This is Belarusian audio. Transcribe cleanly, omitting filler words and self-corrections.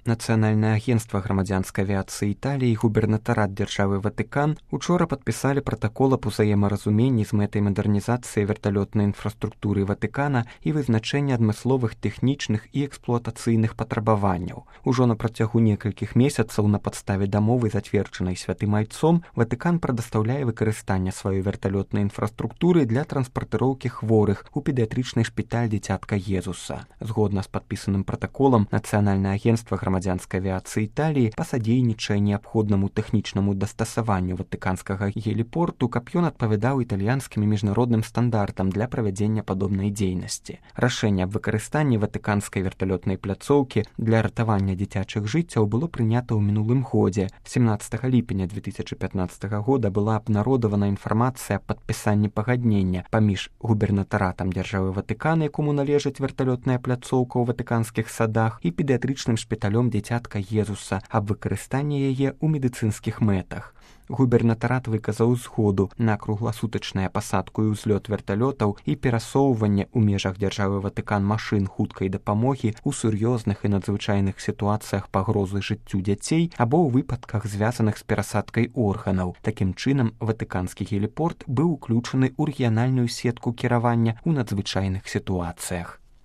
Нацыянальнае агенцтва грамадзянскай авіяцыі Італіі і губернатарат дзяржавы Ватыкан учора падпісалі пратакол аб узаемаразуменні з мэтай мадэрнізацыі верталётнай інфраструктуры Ватыкана і вызначэння адмысловых тэхнічных і эксплуатацыйных патрабаванняў. Ужо на працягу некалькіх месяцаў на падставе дамовы, зацверджанай святым айцом, Ватыкан прадастаўляе выкарыстанне сваёй верталётнай інфраструктуры для транспартыроўкі хворых у педыятрычны шпіталь дзіцятка Езуса. Згодна з падпісаным пратаколам, Нацыянальнае агенцтва грамадзянскай авіяцыі Італіі пасадзейнічае неабходнаму тэхнічнаму дастасаванню ватыканскага геліпорту, каб ён адпавядаў італьянскім і міжнародным стандартам для правядзення падобнай дзейнасці. Рашэнне аб выкарыстанні ватыканскай верталётнай пляцоўкі для ратавання дзіцячых жыццяў было прынята ў мінулым годзе. 17 ліпеня 2015 года была абнародавана інфармацыя аб падпісанні пагаднення паміж губернатаратам дзяржавы Ватыкана, якому належыць верталётная пляцоўка ў ватыканскіх садах, і педыятрычным шпіталём дзіцятка Езуса аб выкарыстанні яе ў медыцынскіх мэтах. Губернатарат выказаў згоду на кругласутачную пасадку і ўзлёт верталётаў і перасоўванне ў межах дзяржавы Ватыкан машын хуткай дапамогі ў сур'ёзных і надзвычайных сітуацыях пагрозы жыццю дзяцей або ў выпадках, звязаных з перасадкай органаў. Такім чынам, ватыканскі геліпорт быў уключаны ў рэгіянальную сетку кіравання ў надзвычайных сітуацыях.